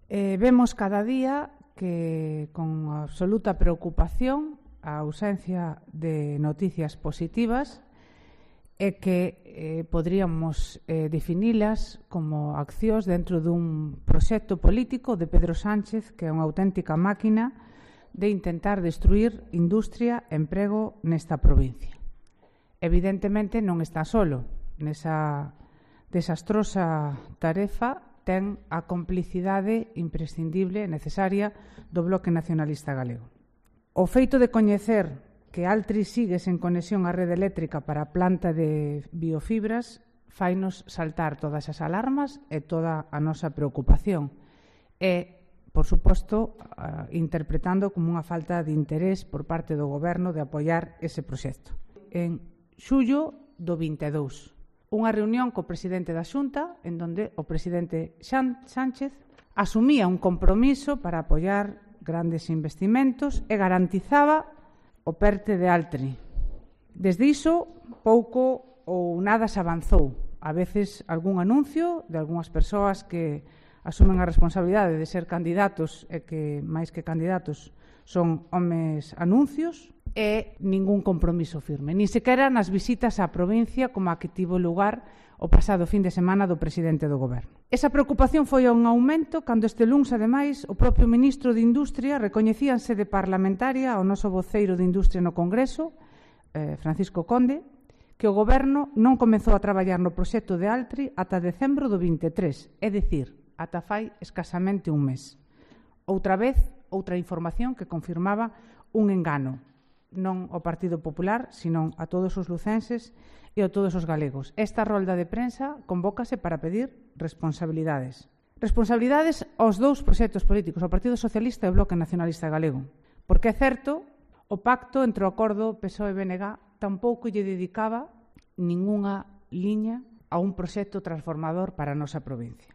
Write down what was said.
Vemos cada día que, con absoluta preocupación, a ausencia de noticias positivas e que poderíamos definilas como accións dentro dun proxecto político de Pedro Sánchez, que é unha auténtica máquina de intentar destruir industria e emprego nesta provincia. Evidentemente non está solo. Nesa desastrosa tarefa ten a complicidade imprescindible e necesaria do Bloque Nacionalista Galego. O feito de coñecer que Altri sigue sen conexión á rede eléctrica para a planta de biofibras fainos saltar todas as alarmas e toda a nosa preocupación. E, por suposto, interpretando como unha falta de interés por parte do Goberno de apoiar ese proxecto. En xullo do 22, unha reunión co presidente da Xunta en donde o presidente Sánchez asumía un compromiso para apoiar grandes investimentos e garantizaba o PERTE de Altri. Desde iso, pouco ou nada se avanzou. A veces, algún anuncio de algunhas persoas que asumen a responsabilidade de ser candidatos e que, máis que candidatos, son homes anuncios e ningún compromiso firme. Ni sequera nas visitas á provincia como a que tivo lugar o pasado fin de semana do presidente do Goberno. Esa preocupación foi un aumento cando este luns, ademais, o propio ministro de Industria recoñecía en sede parlamentaria ao noso voceiro de Industria no Congreso, Francisco Conde, que o Goberno non comezou a traballar no proxecto de Altri ata decembro do 23, é dicir, ata fai escasamente un mes. Outra vez, outra información que confirmaba un engano, non ao Partido Popular, sino a todos os lucenses e a todos os galegos. Esta rolda de prensa convócase para pedir responsabilidades. Responsabilidades aos dous proxectos políticos, ao Partido Socialista e ao Bloque Nacionalista Galego. Porque é certo, o pacto entre o acordo PSOE-BNG tampouco lle dedicaba ningunha liña a un proxecto transformador para a nosa provincia.